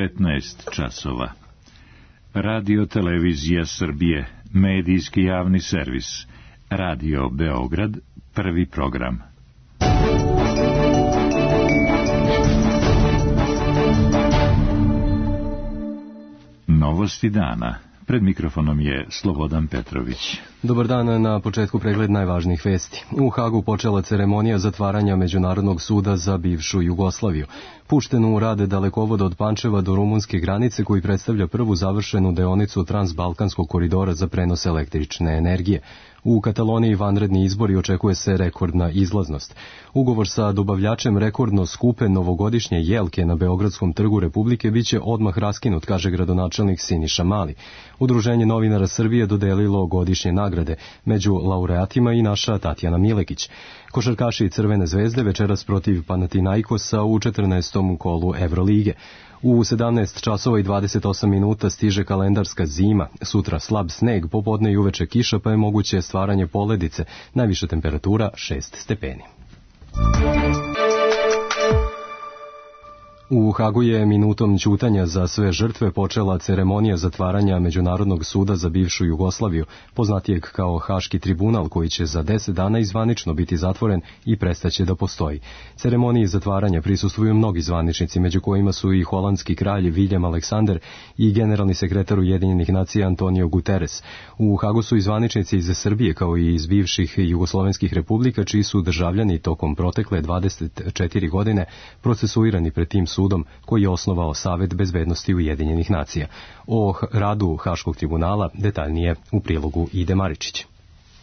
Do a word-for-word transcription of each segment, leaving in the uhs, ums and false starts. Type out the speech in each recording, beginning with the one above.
devetnaest časova. Radio Televizija Srbije, medijski javni servis. Radio Beograd, prvi program. Novosti dana. Pred mikrofonom je Slobodan Petrović. Dobar dan, na početku pregled najvažnijih vesti. U Hagu počela ceremonija zatvaranja Međunarodnog suda za bivšu Jugoslaviju. Pušten u rad dalekovod od Pančeva do rumunske granice koji predstavlja prvu završenu deonicu Transbalkanskog koridora za prenos električne energije. U Kataloniji vanredni izbori, očekuje se rekordna izlaznost. Ugovor sa dobavljačem rekordno skupe novogodišnje jelke na Beogradskom trgu Republike biće odmah raskinut, kaže gradonačelnik Siniša Mali. Udruženje novinara Srbije dodelilo godišnje nagrade, među laureatima i naša Tatjana Milekić. Košarkaši Crvene zvezde večeras protiv Panathinaikosa u četrnaestom kolu Evrolige. U sedamnaest časova i dvadeset osam minuta stiže kalendarska zima, sutra slab sneg, popodne i uveče kiša, pa je moguće stvaranje poledice, najviša temperatura šest stepeni. U Hagu je minutom ćutanja za sve žrtve počela ceremonija zatvaranja Međunarodnog suda za bivšu Jugoslaviju, poznatijeg kao Haški tribunal, koji će za deset dana izvanično biti zatvoren i prestaće da postoji. Ceremoniji zatvaranja prisustvuju mnogi zvaničnici, među kojima su i holandski kralj Viljem Aleksander i generalni sekretar Ujedinjenih nacija Antonio Guterres. U Hagu su i zvaničnici iz Srbije, kao i iz bivših jugoslovenskih republika, čiji su državljani tokom protekle dvadeset četiri godine procesuirani pred tim sudom koji je osnovao Savet bezbednosti Ujedinjenih nacija. O radu Haškog tribunala detaljnije u prilogu Ide Maričić.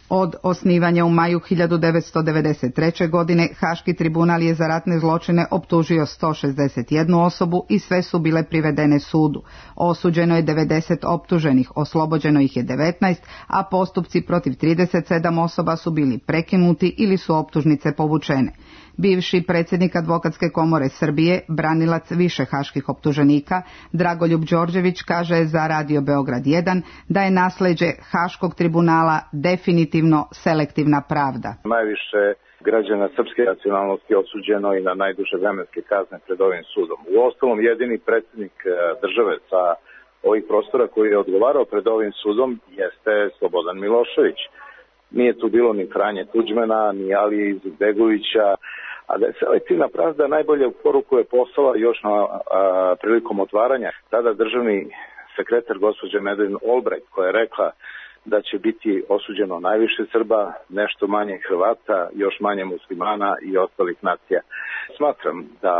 Od osnivanja u maju hiljadu devetsto devedeset treće. godine Haški tribunal je za ratne zločine optužio sto šezdeset jednu osobu i sve su bile privedene sudu. Osuđeno je devedeset optuženih, oslobođeno ih je devetnaest, a postupci protiv trideset sedam osoba su bili prekinuti ili su optužnice povučene. Bivši predsjednik Advokatske komore Srbije, branilac više haških optuženika, Dragoljub Đorđević, kaže za Radio Beograd jedan da je nasleđe Haškog tribunala definitivno selektivna pravda. Najviše građana srpske nacionalnosti osuđeno i na najduže vremenske kazne pred ovim sudom. Uostalom, jedini predsjednik države sa ovih prostora koji je odgovarao pred ovim sudom jeste Slobodan Milošević. Nije tu bilo ni Franje Tuđmana, ni Alije Izetbegovića, a da je selektivna pravda najbolje poruku je poslala još na a, prilikom otvaranja tada državni sekretar gospođa Madeleine Albright, koja je rekla da će biti osuđeno najviše Srba, nešto manje Hrvata, još manje muslimana i ostalih nacija. Smatram da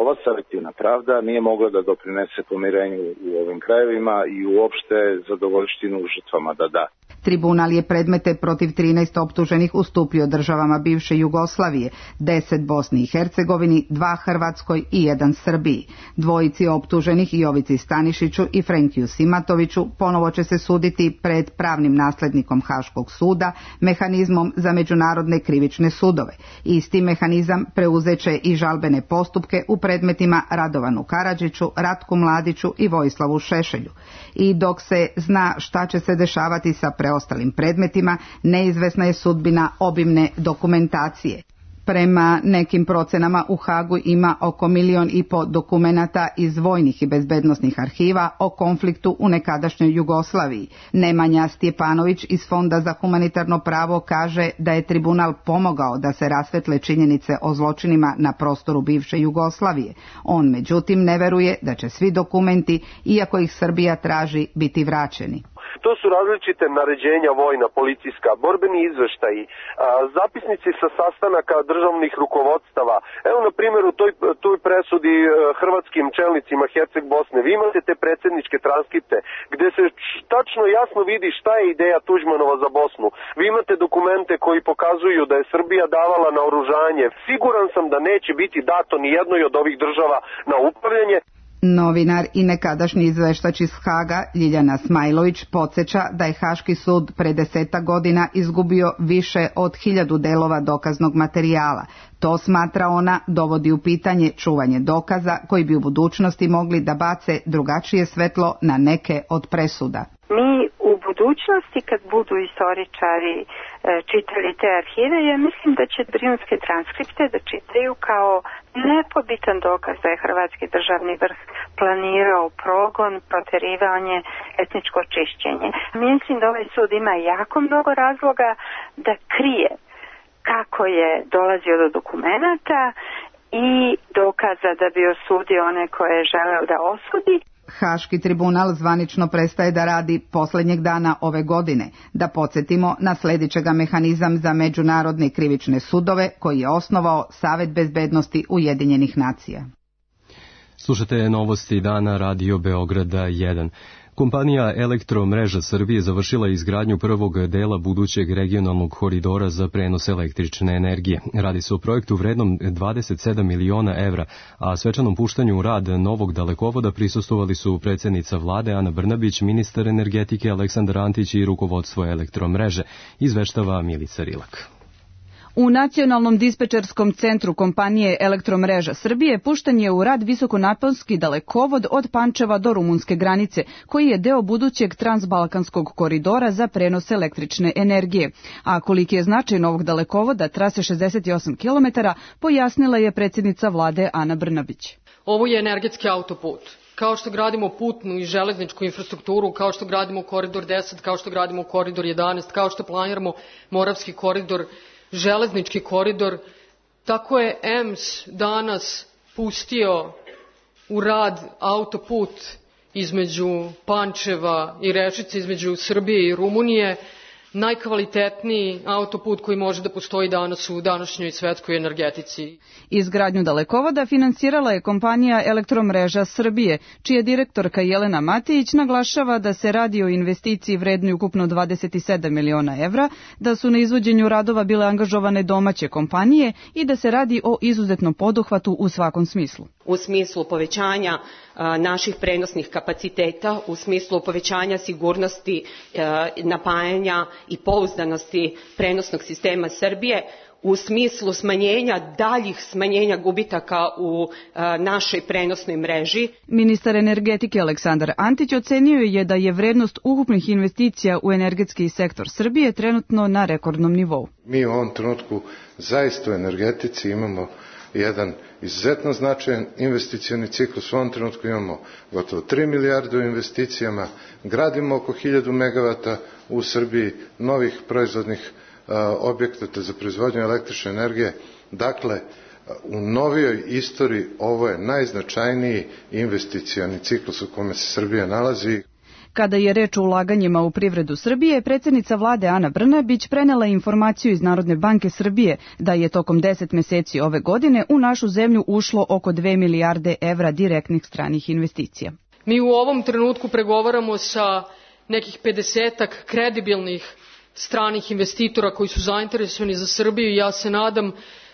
ova selektivna pravda nije mogla da doprinese pomirenju u ovim krajevima i uopšte zadovoljštinu žrtvama da da. Tribunal je predmete protiv trinaest optuženih ustupio državama bivše Jugoslavije, deset Bosni i Hercegovini, dva Hrvatskoj i jedan Srbiji. Dvojici optuženih, Jovici Stanišiću i Frenkiju Simatoviću, ponovo će se suditi pred pravnim naslednikom Haškog suda, mehanizmom za međunarodne krivične sudove. Isti mehanizam preuzeće i žalbene postupke u predmetima Radovanu Karadžiću, Ratku Mladiću i Vojislavu Šešelju. I dok se zna šta će se dešavati sa preostalim predmetima, neizvesna je sudbina obimne dokumentacije. Prema nekim procenama u Hagu ima oko milion i po dokumenata iz vojnih i bezbednosnih arhiva o konfliktu u nekadašnjoj Jugoslaviji. Nemanja Stjepanović iz Fonda za humanitarno pravo kaže da je tribunal pomogao da se rasvetle činjenice o zločinima na prostoru bivše Jugoslavije. On međutim ne veruje da će svi dokumenti, iako ih Srbija traži, biti vraćeni. To su različite naređenja vojna, policijska, borbeni izveštaji, zapisnici sa sastanaka državnih rukovodstava. Evo, na primjer, u toj, toj presudi hrvatskim čelnicima Herceg Bosne, vi imate te predsjedničke transkripte gdje se tačno jasno vidi šta je ideja Tuđmanova za Bosnu. Vi imate dokumente koji pokazuju da je Srbija davala naoružanje. Siguran sam da neće biti dato ni jednoj od ovih država na upravljanje. Novinar i nekadašnji izveštač iz Haga Ljiljana Smajlović podsjeća da je Haški sud pre desetak godina izgubio više od hiljadu delova dokaznog materijala. To, smatra ona, dovodi u pitanje čuvanje dokaza koji bi u budućnosti mogli da bace drugačije svetlo na neke od presuda. Mi u budućnosti, kad budu istoričari e, čitali te arhive, ja mislim da će brijunske transkripte da čitaju kao nepobitan dokaz da je hrvatski državni vrh planirao progon, proterivanje, etničko čišćenje. Mislim da ovaj sud ima jako mnogo razloga da krije kako je dolazio do dokumenata i dokaza da bi osudio one koje je želeo da osudi. Haški tribunal zvanično prestaje da radi posljednjeg dana ove godine. Da podsjetimo, nasledit će ga mehanizam za međunarodne krivične sudove koji je osnovao Savet bezbednosti Ujedinjenih nacija. Slušate novosti dana Radio Beograda jedan. Kompanija Elektromreža Srbije završila izgradnju prvog dela budućeg regionalnog koridora za prenos električne energije. Radi se o projektu vrednom dvadeset sedam miliona evra, a svečanom puštanju u rad novog dalekovoda prisustvovali su predsjednica vlade Ana Brnabić, ministar energetike Aleksandar Antić i rukovodstvo Elektromreže, izveštava Milica Rilak. U Nacionalnom dispečerskom centru kompanije Elektromreža Srbije pušten je u rad visokonaponski dalekovod od Pančeva do rumunske granice, koji je deo budućeg transbalkanskog koridora za prenos električne energije. A koliki je značaj novog dalekovoda, trase šezdeset osam kilometara, pojasnila je predsjednica vlade Ana Brnabić. Ovo je energetski autoput. Kao što gradimo putnu i železničku infrastrukturu, kao što gradimo koridor deset, kao što gradimo koridor jedanaest, kao što planiramo Moravski koridor, železnički koridor, tako je E M S danas pustio u rad autoput između Pančeva i Rečice, između Srbije i Rumunije, najkvalitetniji autoput koji može da postoji danas u današnjoj svetskoj energetici. Izgradnju dalekovoda finansirala je kompanija Elektromreža Srbije, čija direktorka Jelena Matić naglašava da se radi o investiciji vrednoj ukupno dvadeset sedam miliona evra, da su na izvođenju radova bile angažovane domaće kompanije i da se radi o izuzetnom poduhvatu u svakom smislu. U smislu povećanja a, naših prenosnih kapaciteta, u smislu povećanja sigurnosti a, napajanja i pouzdanosti prenosnog sistema Srbije, u smislu smanjenja, daljih smanjenja gubitaka u a, našoj prenosnoj mreži. Ministar energetike Aleksandar Antić ocenio je da je vrednost ukupnih investicija u energetski sektor Srbije trenutno na rekordnom nivou. Mi u ovom trenutku zaista u energetici imamo jedan izuzetno značajan investicioni ciklus. U ovom trenutku imamo gotovo tri milijarde u investicijama, gradimo oko hiljadu megavata u Srbiji novih proizvodnih objekata za proizvodnju električne energije. Dakle, u novijoj istoriji ovo je najznačajniji investicioni ciklus u kome se Srbija nalazi. Kada je reč o ulaganjima u privredu Srbije, predsjednica vlade Ana Brnabić prenela informaciju iz Narodne banke Srbije da je tokom deset meseci ove godine u našu zemlju ušlo oko dve milijarde evra direktnih stranih investicija. Mi u ovom trenutku pregovaramo sa nekih pedesetak kredibilnih stranih investitora koji su zainteresovani za Srbiju i ja se nadam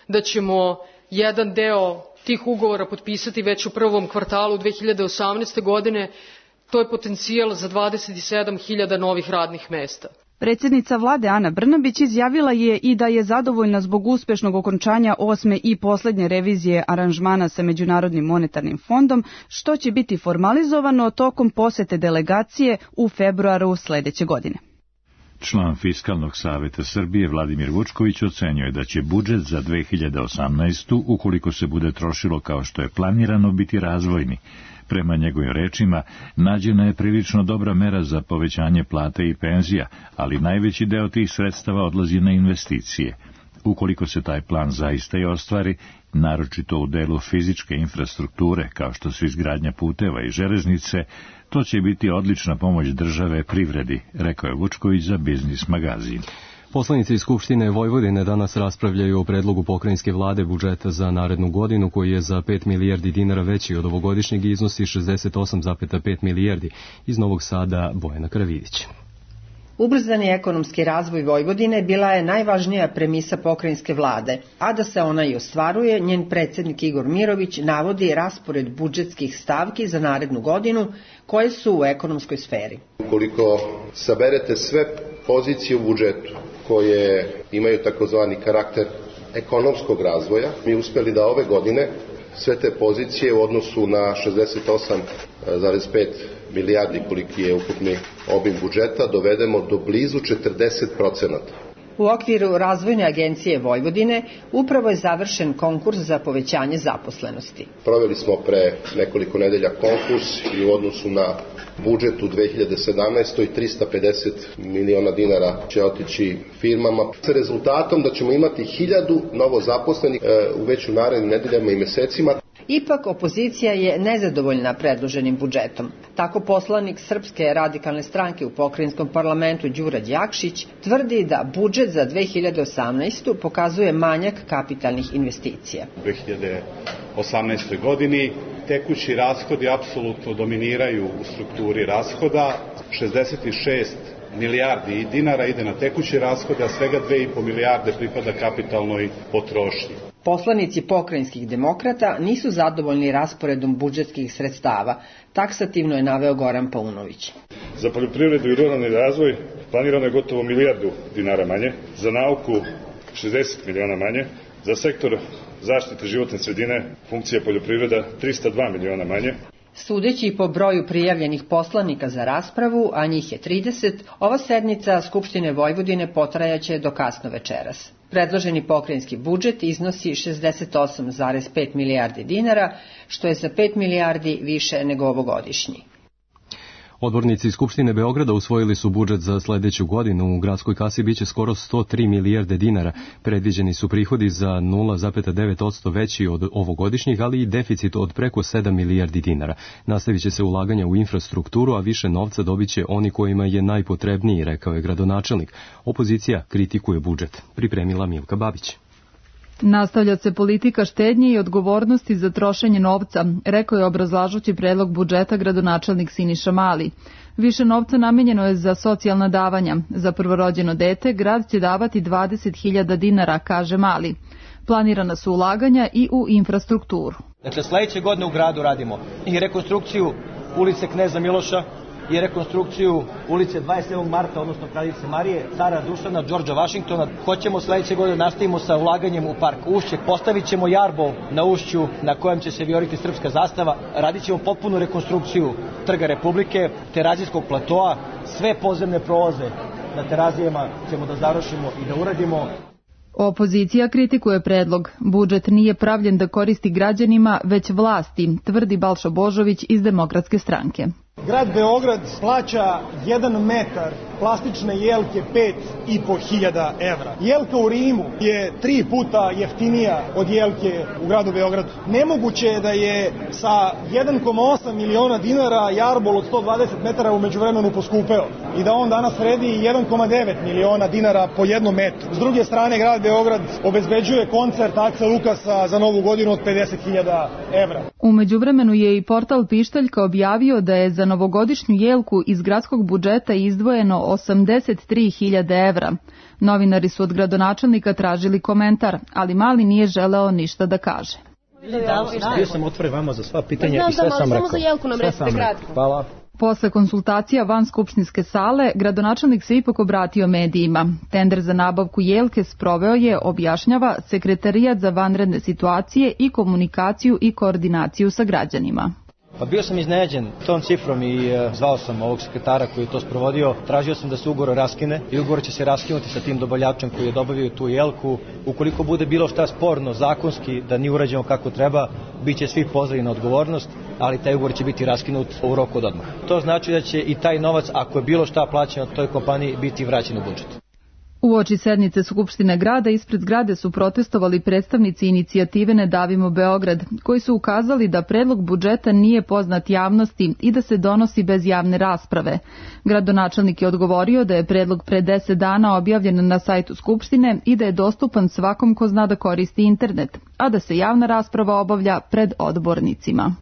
da ćemo jedan deo tih ugovora potpisati već u prvom kvartalu dve hiljade osamnaeste. godine. To je potencijal za dvadeset sedam hiljada novih radnih mesta. Predsjednica vlade Ana Brnabić izjavila je i da je zadovoljna zbog uspešnog okončanja osme i posljednje revizije aranžmana sa Međunarodnim monetarnim fondom, što će biti formalizovano tokom posete delegacije u februaru sledeće godine. Član Fiskalnog saveta Srbije Vladimir Vučković ocenjuje da će budžet za dve hiljade osamnaestu. ukoliko se bude trošilo kao što je planirano, biti razvojni. Prema njegovim rečima, nađena je prilično dobra mera za povećanje plate i penzija, ali najveći deo tih sredstava odlazi na investicije. Ukoliko se taj plan zaista i ostvari, naročito u delu fizičke infrastrukture, kao što su izgradnja puteva i železnice, to će biti odlična pomoć države privredi, rekao je Vučković za Biznis magazin. Poslanici Skupštine Vojvodine danas raspravljaju o predlogu pokrajinske vlade budžeta za narednu godinu, koji je za pet milijardi dinara veći od ovogodišnjeg i iznosi šezdeset osam zarez pet milijardi. Iz Novog Sada Bojana Karavidić. Ubrzani ekonomski razvoj Vojvodine bila je najvažnija premisa pokrajinske vlade, a da se ona i ostvaruje, njen predsjednik Igor Mirović navodi raspored budžetskih stavki za narednu godinu koje su u ekonomskoj sferi. Ukoliko saberete sve pozicije u budžetu koje imaju takozvani karakter ekonomskog razvoja, mi uspjeli da ove godine sve te pozicije u odnosu na šezdeset osam zarez pet milijardi koliki je ukupni obim budžeta, dovedemo do blizu četrdeset procenata. U okviru Razvojne agencije Vojvodine upravo je završen konkurs za povećanje zaposlenosti. Proveli smo pre nekoliko nedelja konkurs i u odnosu na budžet u dve hiljade sedamnaestoj. trista pedeset miliona dinara će otići firmama sa rezultatom da ćemo imati hiljadu novo zaposlenih u već u narednim nedeljama i mesecima. Ipak opozicija je nezadovoljna predloženim budžetom. Tako poslanik Srpske radikalne stranke u pokrajinskom parlamentu Đura Đakšić tvrdi da budžet za dve hiljade osamnaestu. pokazuje manjak kapitalnih investicija. U dve hiljade osamnaestoj. godini tekući rashodi apsolutno dominiraju u strukturi rashoda. šezdeset šest milijardi dinara ide na tekuće rashode, a svega dve i po milijarde pripada kapitalnoj potrošnji. Poslanici pokrajinskih demokrata nisu zadovoljni rasporedom budžetskih sredstava, taksativno je naveo Goran Paunović. Za poljoprivredu i ruralni razvoj planirano je gotovo milijardu dinara manje, za nauku šezdeset miliona manje, za sektor zaštite životne sredine funkcija poljoprivreda trista dva miliona manje. Sudeći po broju prijavljenih poslanika za raspravu, a njih je trideset, ova sednica Skupštine Vojvodine potrajaće do kasno večeras. Predloženi pokrajinski budžet iznosi šezdeset osam zarez pet milijardi dinara, što je za pet milijardi više nego ovogodišnji. Odbornici Skupštine Beograda usvojili su budžet za sledeću godinu. U gradskoj kasi biće skoro sto tri milijarde dinara. Predviđeni su prihodi za nula zarez devet posto veći od ovogodišnjih, ali i deficit od preko sedam milijardi dinara. Nastavit će se ulaganja u infrastrukturu, a više novca dobiće oni kojima je najpotrebniji, rekao je gradonačelnik. Opozicija kritikuje budžet. Pripremila Milka Babić. Nastavlja se politika štednje i odgovornosti za trošenje novca, rekao je obrazlažući predlog budžeta gradonačelnik Siniša Mali. Više novca namenjeno je za socijalna davanja. Za prvorođeno dete grad će davati dvadeset hiljada dinara, kaže Mali. Planirana su ulaganja i u infrastrukturu. Dakle, sledeće godine u gradu radimo i rekonstrukciju ulice Kneza Miloša, i rekonstrukciju ulice dvadeset sedmog marta, odnosno Kraljice Marije, Cara Dušana, Đorđa Vašingtona. Hoćemo sledeće godine nastavimo sa ulaganjem u park Ušće. Postavit ćemo jarbol na Ušću na kojem će se vijoriti srpska zastava. Radit ćemo potpunu rekonstrukciju Trga Republike, Terazijskog platoa, sve podzemne prolaze na Terazijama ćemo da završimo i da uradimo. Opozicija kritikuje predlog. Budžet nije pravljen da koristi građanima, već vlasti, tvrdi Balša Božović iz Demokratske stranke. Grad Beograd plaća jedan metar plastične jelke pet i po hiljada evra. Jelka u Rimu je tri puta jeftinija od jelke u gradu Beogradu. Nemoguće je da je sa jedan zarez osam miliona dinara jarbol od sto dvadeset metara u međuvremenu poskupeo i da on danas vredi jedan zarez devet miliona dinara po jednom metru. S druge strane, grad Beograd obezbeđuje koncert Aksa Lukasa za novu godinu od pedeset hiljada evra. U međuvremenu je i portal Pištaljka objavio da je za novogodišnju jelku iz gradskog budžeta izdvojeno osamdeset tri hiljade evra. Novinari su od gradonačelnika tražili komentar, ali Mali nije želeo ništa da kaže. Bio sam otvoren vama za sva pitanja i sve sam rekao. Samo za jelku nam recite kratko. Hvala. Posle konsultacija van skupštinske sale, gradonačelnik se ipak obratio medijima. Tender za nabavku jelke sproveo je, objašnjava, Sekretarijat za vanredne situacije i komunikaciju i koordinaciju sa građanima. Pa bio sam iznenađen tom cifrom i e, zvao sam ovog sekretara koji je to sprovodio. Tražio sam da se ugovor raskine i ugovor će se raskinuti sa tim dobavljačem koji je dobavio tu jelku. Ukoliko bude bilo šta sporno zakonski da nije urađeno kako treba, bit će svi pozvani na odgovornost, ali taj ugovor će biti raskinut u roku od odmah. To znači da će i taj novac, ako je bilo šta plaćeno toj kompaniji, biti vraćen u budžet. Uoči sednice Skupštine grada ispred zgrade su protestovali predstavnici inicijative Ne davimo Beograd, koji su ukazali da predlog budžeta nije poznat javnosti i da se donosi bez javne rasprave. Gradonačelnik je odgovorio da je predlog pre deset dana objavljen na sajtu Skupštine i da je dostupan svakom ko zna da koristi internet, a da se javna rasprava obavlja pred odbornicima.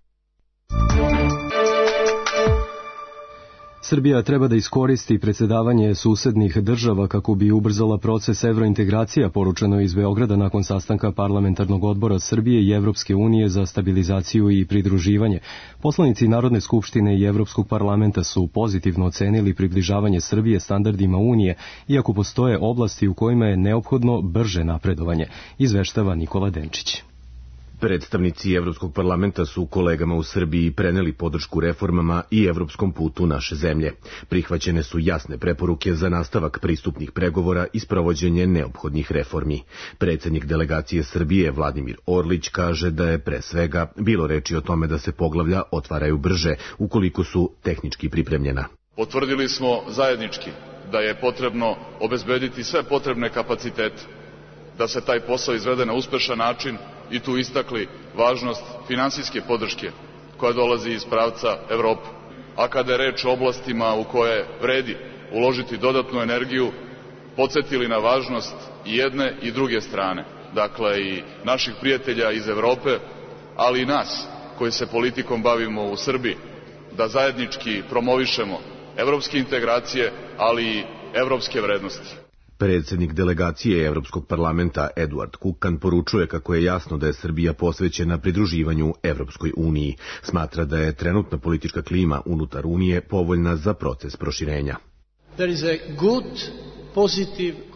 Srbija treba da iskoristi predsjedavanje susednih država kako bi ubrzala proces evrointegracija, poručeno iz Beograda nakon sastanka parlamentarnog odbora Srbije i Evropske unije za stabilizaciju i pridruživanje. Poslanici Narodne skupštine i Evropskog parlamenta su pozitivno ocenili približavanje Srbije standardima Unije, iako postoje oblasti u kojima je neophodno brže napredovanje, izveštava Nikola Denčić. Predstavnici Evropskog parlamenta su kolegama u Srbiji preneli podršku reformama i evropskom putu naše zemlje. Prihvaćene su jasne preporuke za nastavak pristupnih pregovora i sprovođenje neophodnih reformi. Predsjednik delegacije Srbije Vladimir Orlić kaže da je pre svega bilo reči o tome da se poglavlja otvaraju brže ukoliko su tehnički pripremljena. Potvrdili smo zajednički da je potrebno obezbediti sve potrebne kapacitete da se taj posao izvede na uspešan način i tu istakli važnost finansijske podrške koja dolazi iz pravca Evrope. A kada je reč o oblastima u koje vredi uložiti dodatnu energiju, podsjetili na važnost i jedne i druge strane, dakle i naših prijatelja iz Evrope, ali i nas koji se politikom bavimo u Srbiji, da zajednički promovišemo evropske integracije, ali i evropske vrednosti. Predsjednik delegacije Evropskog parlamenta Eduard Kukan poručuje kako je jasno da je Srbija posvećena pridruživanju Evropskoj uniji. Smatra da je trenutna politička klima unutar Unije povoljna za proces proširenja.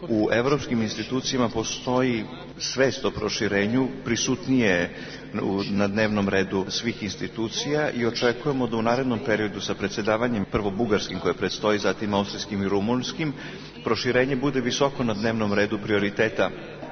U evropskim institucijama postoji svest o proširenju, prisutnije na dnevnom redu svih institucija i očekujemo da u narednom periodu sa predsjedavanjem prvo bugarskim koje predstoji, zatim austrijskim i rumunskim, proširenje bude visoko na dnevnom redu prioriteta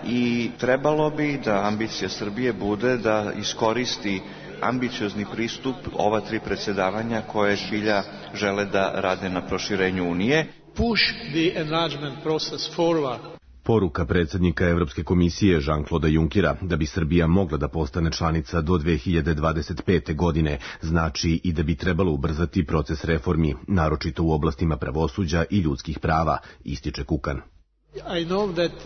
i trebalo bi da ambicija Srbije bude da iskoristi ambiciozni pristup ova tri predsjedavanja koje zbilja žele da rade na proširenju Unije. Push the enlargement process forward. Poruka predsjednika Evropske komisije Jean-Claude Junckera da bi Srbija mogla da postane članica do dve hiljade dvadeset pete. godine znači i da bi trebalo ubrzati proces reformi, naročito u oblastima pravosuđa i ljudskih prava, ističe Kukan.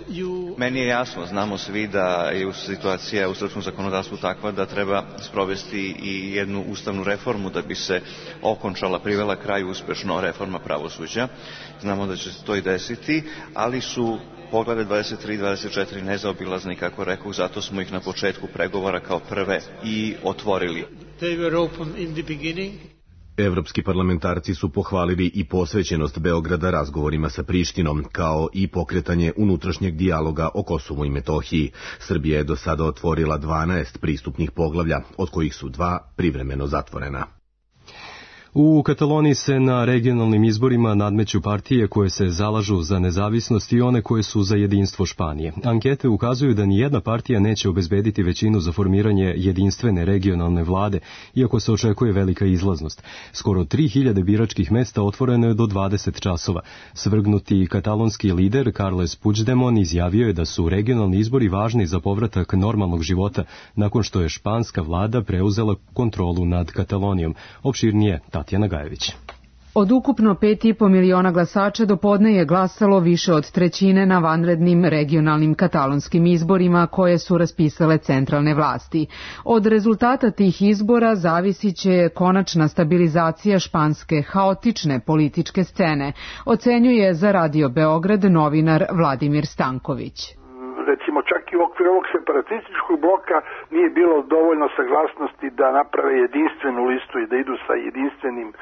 You... Meni je jasno, znamo svi da je situacija u srpskom zakonodavstvu takva da treba sprovesti i jednu ustavnu reformu da bi se okončala, privela kraju uspešno reforma pravosuđa. Znamo da će se to i desiti, ali su poglede dvadeset tri i dvadeset četiri nezaobilazne, kako rekao, zato smo ih na početku pregovora kao prve i otvorili. They were open in the beginning. Evropski parlamentarci su pohvalili i posvećenost Beograda razgovorima sa Prištinom, kao i pokretanje unutrašnjeg dijaloga o Kosovu i Metohiji. Srbija je do sada otvorila dvanaest pristupnih poglavlja, od kojih su dva privremeno zatvorena. U Kataloniji se na regionalnim izborima nadmeću partije koje se zalažu za nezavisnost i one koje su za jedinstvo Španije. Ankete ukazuju da nijedna partija neće obezbediti većinu za formiranje jedinstvene regionalne vlade, iako se očekuje velika izlaznost. Skoro tri hiljade biračkih mesta otvoreno je do dvadeset časova. Svrgnuti katalonski lider Carles Puigdemont izjavio je da su regionalni izbori važni za povratak normalnog života nakon što je španska vlada preuzela kontrolu nad Katalonijom. Opširnije Tatjana Gajević. Od ukupno pet i po miliona glasača do podne je glasalo više od trećine na vanrednim regionalnim katalonskim izborima koje su raspisale centralne vlasti. Od rezultata tih izbora zavisit će konačna stabilizacija španske haotične političke scene, ocenjuje za Radio Beograd novinar Vladimir Stanković. Recimo čak i u okviru ovog separatističkog bloka nije bilo dovoljno saglasnosti da naprave jedinstvenu listu i da idu sa jedinstvenim e,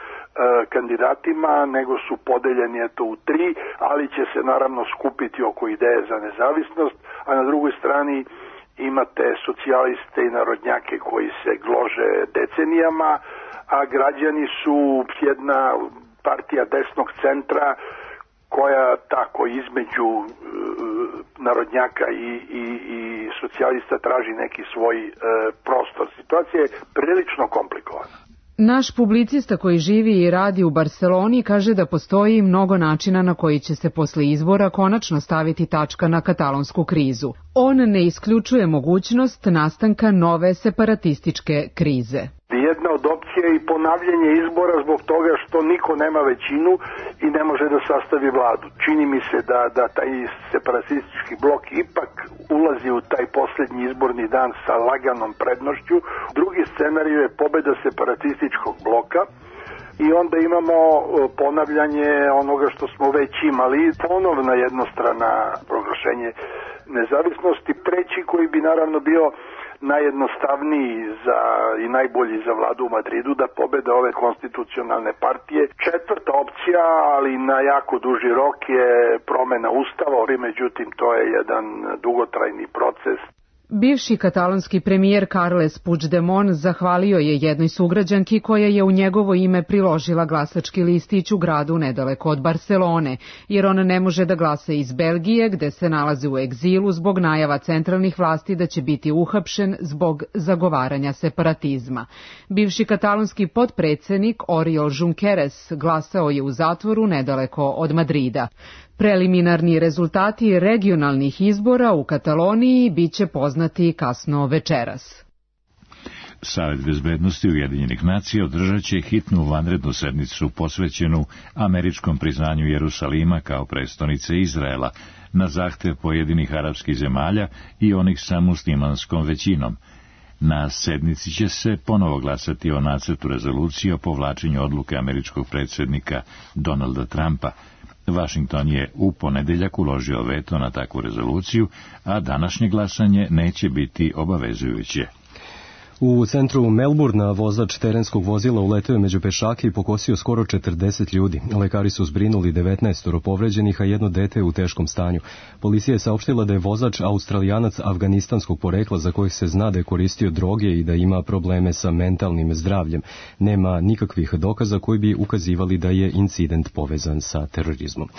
kandidatima, nego su podeljeni eto u tri, ali će se naravno skupiti oko ideje za nezavisnost, a na drugoj strani imate socijaliste i narodnjake koji se glože decenijama, a građani su jedna partija desnog centra koja tako između e, narodnjaka i, i, i socijalista traži neki svoj e, prostor. Situacija je prilično komplikovana. Naš publicista koji živi i radi u Barseloni kaže da postoji mnogo načina na koji će se posle izbora konačno staviti tačka na katalonsku krizu. On ne isključuje mogućnost nastanka nove separatističke krize. Jedna od opcija je i ponavljanje izbora zbog toga što niko nema većinu i ne može da sastavi vladu. Čini mi se da, da taj separatistički blok ipak ulazi u taj posljednji izborni dan sa laganom prednošću. Drugi scenarij je pobeda separatističkog bloka i onda imamo ponavljanje onoga što smo već imali, ponovna jednostrana proglašenje nezavisnosti. Treći koji bi naravno bio najjednostavniji za, i najbolji za vladu u Madridu, da pobede ove konstitucionalne partije. Četvrta opcija, ali na jako duži rok, je promena ustava, međutim to je jedan dugotrajni proces. Bivši katalonski premijer Carles Puigdemont zahvalio je jednoj sugrađanki koja je u njegovo ime priložila glasački listić u gradu nedaleko od Barcelone, jer on ne može da glasa iz Belgije, gde se nalazi u egzilu zbog najava centralnih vlasti da će biti uhapšen zbog zagovaranja separatizma. Bivši katalonski potpredsednik Oriol Junqueras glasao je u zatvoru nedaleko od Madrida. Preliminarni rezultati regionalnih izbora u Kataloniji biće poznati kasno večeras. Savet bezbednosti Ujedinjenih nacija održat će hitnu vanrednu sednicu posvećenu američkom priznanju Jerusalima kao prestonice Izraela na zahtev pojedinih arapskih zemalja i onih sa muslimanskom većinom. Na sednici će se ponovo glasati o nacrtu rezolucije o povlačenju odluke američkog predsjednika Donalda Trumpa. Vašington je u ponedeljak uložio veto na takvu rezoluciju, a današnje glasanje neće biti obavezujuće. U centru Melbourna vozač terenskog vozila uleteo je među pešake i pokosio skoro četrdeset ljudi. Lekari su zbrinuli devetnaest povređenih, a jedno dete je u teškom stanju. Policija je saopštila da je vozač Australijanac afganistanskog porekla za kojih se zna da je koristio droge i da ima probleme sa mentalnim zdravljem. Nema nikakvih dokaza koji bi ukazivali da je incident povezan sa terorizmom.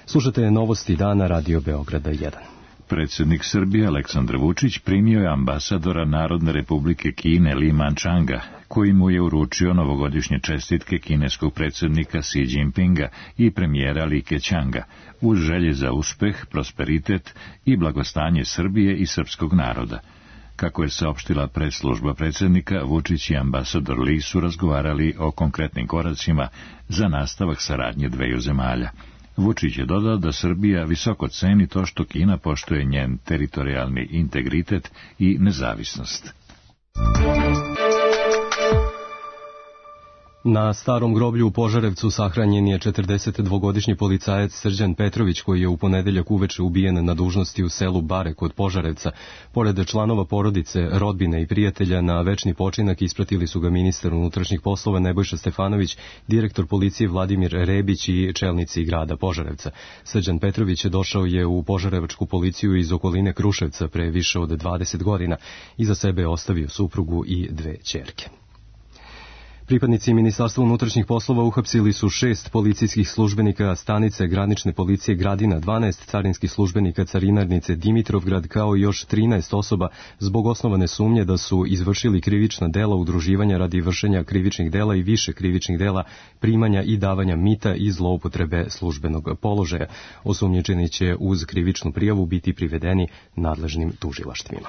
Slušate novosti dana Radio Beograda jedan. Predsjednik Srbije Aleksandar Vučić primio je ambasadora Narodne republike Kine Li Manchanga, koji mu je uručio novogodišnje čestitke kineskog predsjednika Xi Jinpinga i premijera Li Keqianga, uz želje za uspeh, prosperitet i blagostanje Srbije i srpskog naroda. Kako je saopštila presslužba predsjednika, Vučić i ambasador Li su razgovarali o konkretnim koracima za nastavak saradnje dveju zemalja. Vučić je dodao da Srbija visoko ceni to što Kina poštuje njen teritorijalni integritet i nezavisnost. Na starom groblju u Požarevcu sahranjen je četrdesetdvogodišnji policajac Srđan Petrović, koji je u ponedeljak uveče ubijen na dužnosti u selu Bare kod Požarevca. Pored članova porodice, rodbine i prijatelja, na večni počinak ispratili su ga ministar unutrašnjih poslova Nebojša Stefanović, direktor policije Vladimir Rebić i čelnici grada Požarevca. Srđan Petrović došao je u požarevačku policiju iz okoline Kruševca pre više od dvadeset godina. Iza sebe je ostavio suprugu i dve ćerke. Pripadnici Ministarstva unutrašnjih poslova uhapsili su šest policijskih službenika stanice granične policije Gradina, dvanaest carinskih službenika carinarnice Dimitrovgrad, kao i još trinaest osoba zbog osnovane sumnje da su izvršili krivična dela udruživanja radi vršenja krivičnih dela i više krivičnih dela primanja i davanja mita i zloupotrebe službenog položaja. Osumnjičeni će uz krivičnu prijavu biti privedeni nadležnim tužilaštvima.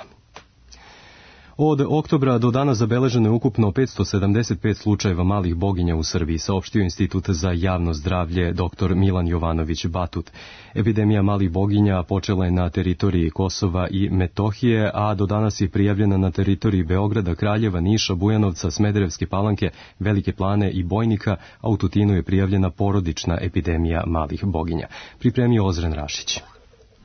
Od oktobra do danas zabeleženo je ukupno petsto sedamdeset pet slučajeva malih boginja u Srbiji, saopštio Institut za javno zdravlje dr Milan Jovanović Batut. Epidemija malih boginja počela je na teritoriji Kosova i Metohije, a do danas je prijavljena na teritoriji Beograda, Kraljeva, Niša, Bujanovca, Smederevske Palanke, Velike Plane i Bojnika, a u Tutinu je prijavljena porodična epidemija malih boginja. Pripremio Ozren Rašić.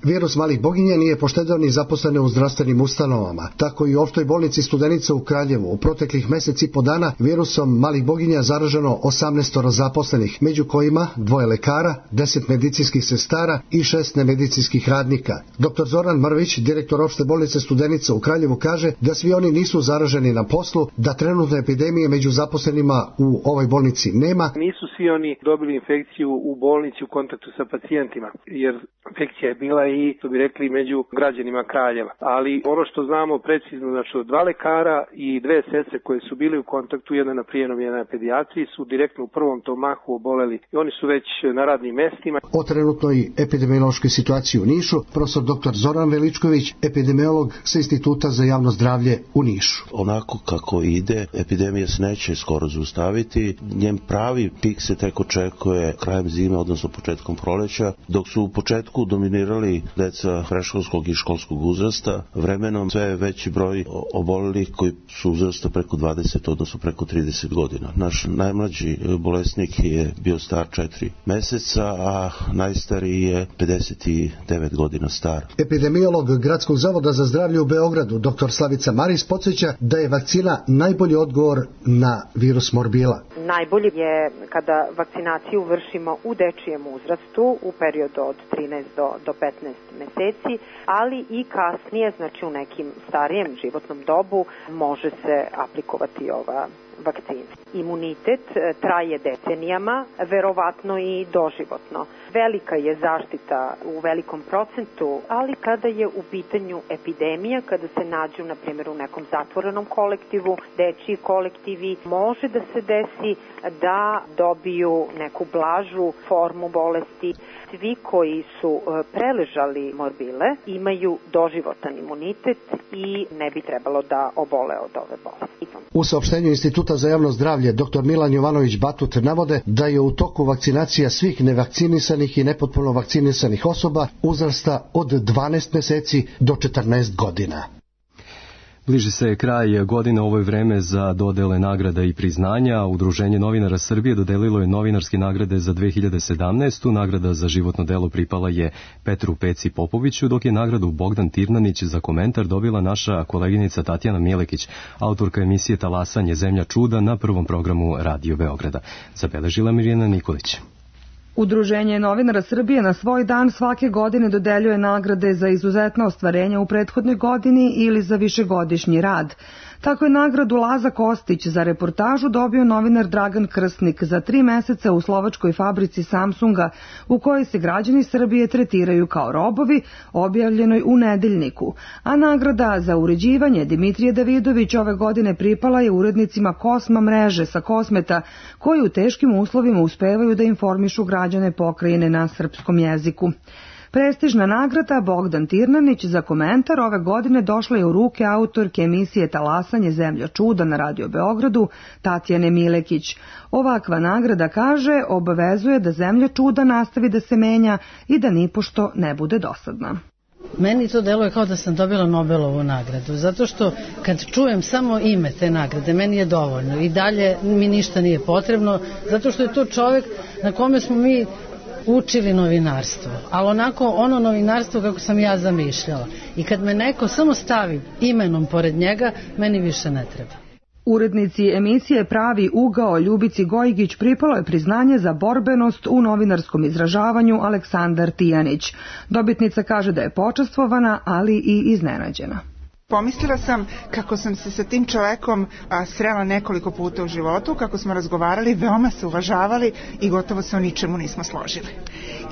Virus malih boginja nije poštedeo ni zaposlene u zdravstvenim ustanovama. Tako i u opštoj bolnici Studenica u Kraljevu u proteklih meseci po dana virusom malih boginja zaraženo osamnaest zaposlenih, među kojima dvoje lekara, deset medicinskih sestara i šest nemedicinskih radnika. doktor Zoran Mrvić, direktor opšte bolnice Studenica u Kraljevu, kaže da svi oni nisu zaraženi na poslu, da trenutne epidemije među zaposlenima u ovoj bolnici nema. Nisu svi oni dobili infekciju u bolnici u kontaktu sa pacijentima, jer infekcija je bila i, to bi rekli, među građanima Kraljeva. Ali ono što znamo precizno, znači od dva lekara i dve sestre koje su bili u kontaktu, jedna na prijemnom, jedna na pedijatriji, su direktno u prvom tom mahu oboleli i oni su već na radnim mestima. O trenutnoj epidemiološkoj situaciji u Nišu, profesor doktor Zoran Veličković, epidemiolog sa Instituta za javno zdravlje u Nišu. Onako kako ide, epidemija se neće skoro zaustaviti. Njen pravi pik se tek očekuje krajem zime, odnosno početkom proleća, dok su u početku dominirali deca predškolskog i školskog uzrasta. Vremenom sve je veći broj obolelih koji su uzrasta preko dvadeset, odnosno preko trideset godina. Naš najmlađi bolesnik je bio star četiri meseca, a najstariji je pedeset devet godina star. Epidemiolog Gradskog zavoda za zdravlje u Beogradu, doktor Slavica Maris, podsjeća da je vakcina najbolji odgovor na virus morbila. Najbolje je kada vakcinaciju vršimo u dečijem uzrastu u periodu od trinaest do petnaest četrnaest meseci, ali i kasnije, znači u nekim starijem životnom dobu, može se aplikovati ova vakcina. Imunitet traje decenijama, verovatno i doživotno. Velika je zaštita u velikom procentu, ali kada je u pitanju epidemija, kada se nađu, na primjer, u nekom zatvorenom kolektivu, dečiji kolektivi, može da se desi da dobiju neku blažu formu bolesti. Svi koji su preležali morbile imaju doživotan imunitet i ne bi trebalo da obole od ove bolesti. U saopštenju Instituta za javno zdravlje dr Milan Jovanović Batut navode da je u toku vakcinacija svih nevakcinisanih i nepotpuno vakcinisanih osoba uzrasta od dvanaest meseci do četrnaest godina. Bliži se kraj godine, ovo je vreme za dodele nagrada i priznanja. Udruženje novinara Srbije dodelilo je novinarske nagrade za dve hiljade sedamnaestu. Nagrada za životno delo pripala je Petru Peci Popoviću, dok je nagradu Bogdan Tirnanić za komentar dobila naša koleginica Tatjana Milekić, autorka emisije Talasanje zemlja čuda na prvom programu Radio Beograda. Zabeležila Mirjana Nikolić. Udruženje novinara Srbije na svoj dan svake godine dodeljuje nagrade za izuzetna ostvarenja u prethodnoj godini ili za višegodišnji rad. Tako je nagradu Laza Kostić za reportažu dobio novinar Dragan Krstnik za tri meseca u slovačkoj fabrici Samsunga, u kojoj se građani Srbije tretiraju kao robovi, objavljenoj u Nedeljniku. A nagrada za uređivanje Dimitrije Davidović ove godine pripala je urednicima Kosma mreže sa Kosmeta, koji u teškim uslovima uspevaju da informišu građane pokrajine na srpskom jeziku. Prestižna nagrada Bogdan Tirnanić za komentar ove godine došla je u ruke autorke emisije Talasanje zemlja čuda na Radio Beogradu, Tatjane Milekić. Ovakva nagrada, kaže, obavezuje da zemlja čuda nastavi da se menja i da nipošto ne bude dosadna. Meni to deluje kao da sam dobila Nobelovu nagradu, zato što kad čujem samo ime te nagrade, meni je dovoljno i dalje mi ništa nije potrebno, zato što je to čovjek na kome smo mi učili novinarstvo, ali onako ono novinarstvo kako sam ja zamišljala. I kad me neko samo stavi imenom pored njega, meni više ne treba. Urednici emisije Pravi ugao Ljubici Gojgić pripalo je priznanje za borbenost u novinarskom izražavanju Aleksandar Tijanić. Dobitnica kaže da je počastvovana, ali i iznenađena. Pomislila sam kako sam se sa tim čovekom a, srela nekoliko puta u životu, kako smo razgovarali, veoma se uvažavali i gotovo se o ničemu nismo složili.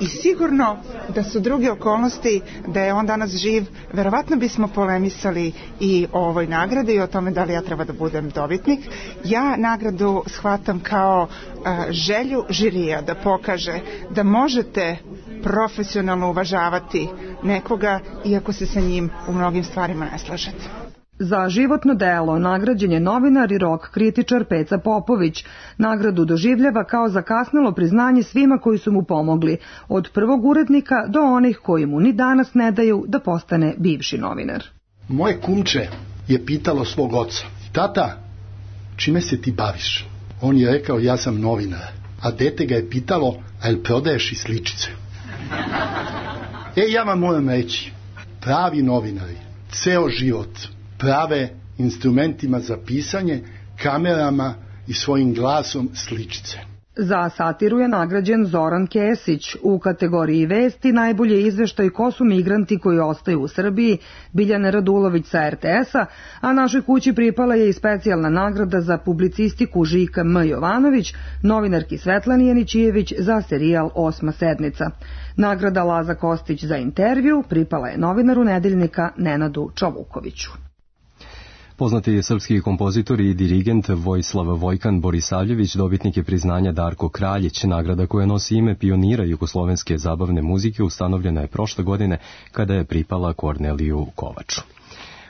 I sigurno da su druge okolnosti, da je on danas živ, verovatno bismo polemisali i o ovoj nagradi i o tome da li ja treba da budem dobitnik. Ja nagradu shvatam kao a, želju žirija da pokaže da možete profesionalno uvažavati nekoga, iako se sa njim u mnogim stvarima ne slažete. Za životno delo nagrađen je novinar i rock kritičar Peca Popović. Nagradu doživljava kao zakasnelo priznanje svima koji su mu pomogli, od prvog urednika do onih koji mu ni danas ne daju da postane bivši novinar. Moje kumče je pitalo svog oca: tata, čime se ti baviš? On je rekao: ja sam novinar. A dete ga je pitalo: a jel prodaješ i sličice? E, ja vam moram reći, pravi novinari ceo život prave instrumentima za pisanje, kamerama i svojim glasom sličice. Za satiru je nagrađen Zoran Kesić. U kategoriji vesti najbolje izveštaj ko su migranti koji ostaju u Srbiji, Biljana Radulović sa er te es-a, a našoj kući pripala je i specijalna nagrada za publicistiku Žika M. Jovanović, novinarki Svetlani Janićijević za serijal Osma sednica. Nagrada Laza Kostić za intervju pripala je novinaru Nedeljnika Nenadu Čovukoviću. Poznati je srpski kompozitor i dirigent Vojislav Vojkan Borisavljević, dobitnik je priznanja Darko Kraljić. Nagrada koja nosi ime pionira jugoslovenske zabavne muzike ustanovljena je prošle godine kada je pripala Korneliju Kovaču.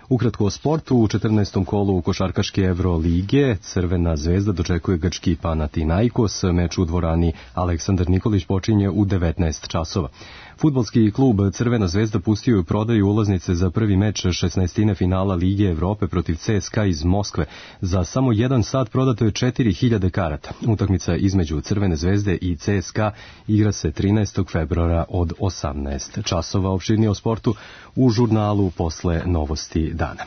Ukratko o sportu, u četrnaestom kolu košarkaške Evrolige Crvena zvezda dočekuje grčki Panathinaikos. Meč u dvorani Aleksandar Nikolić počinje u devetnaest časova. Fudbalski klub Crvena zvezda pustio je prodaju ulaznice za prvi meč šesnaestine finala Lige Evrope protiv ce es ka iz Moskve. Za samo jedan sat prodato je četiri hiljade karata. Utakmica između Crvene zvezde i ce es ka igra se trinaestog februara od osamnaest časova. Opširnije o sportu u žurnalu posle novosti dana.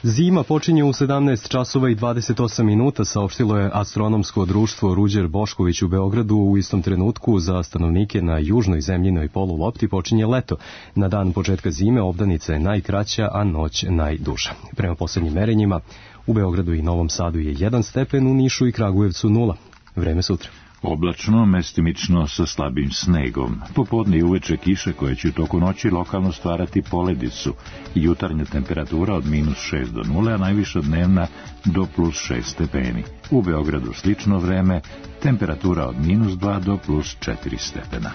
Zima počinje u sedamnaest časova i dvadeset osam minuta, saopštilo je astronomsko društvo Ruđer Bošković u Beogradu. U istom trenutku za stanovnike na južnoj zemljinoj polulopti počinje leto. Na dan početka zime obdanica je najkraća, a noć najduža. Prema poslednjim merenjima, u Beogradu i Novom Sadu je jedan stepen, u Nišu i Kragujevcu nula. Vreme sutra. Oblačno, mestimično sa slabim snegom. Popodne i uveče kiše koje će u toku noći lokalno stvarati poledicu. Jutarnja temperatura od minus šest do nule, a najviša dnevna do plus šest stepeni. U Beogradu slično vreme, temperatura od minus dva do plus četiri stepena.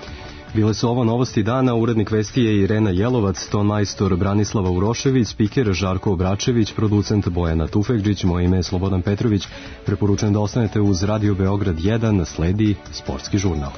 Bile su ovo novosti dana, urednik vesti je Irena Jelovac, ton majstor Branislava Urošević, spiker Žarko Obračević, producent Bojana Tufekđić, moje ime je Slobodan Petrović. Preporučujem da ostanete uz Radio Beograd jedan, sledi sportski žurnal.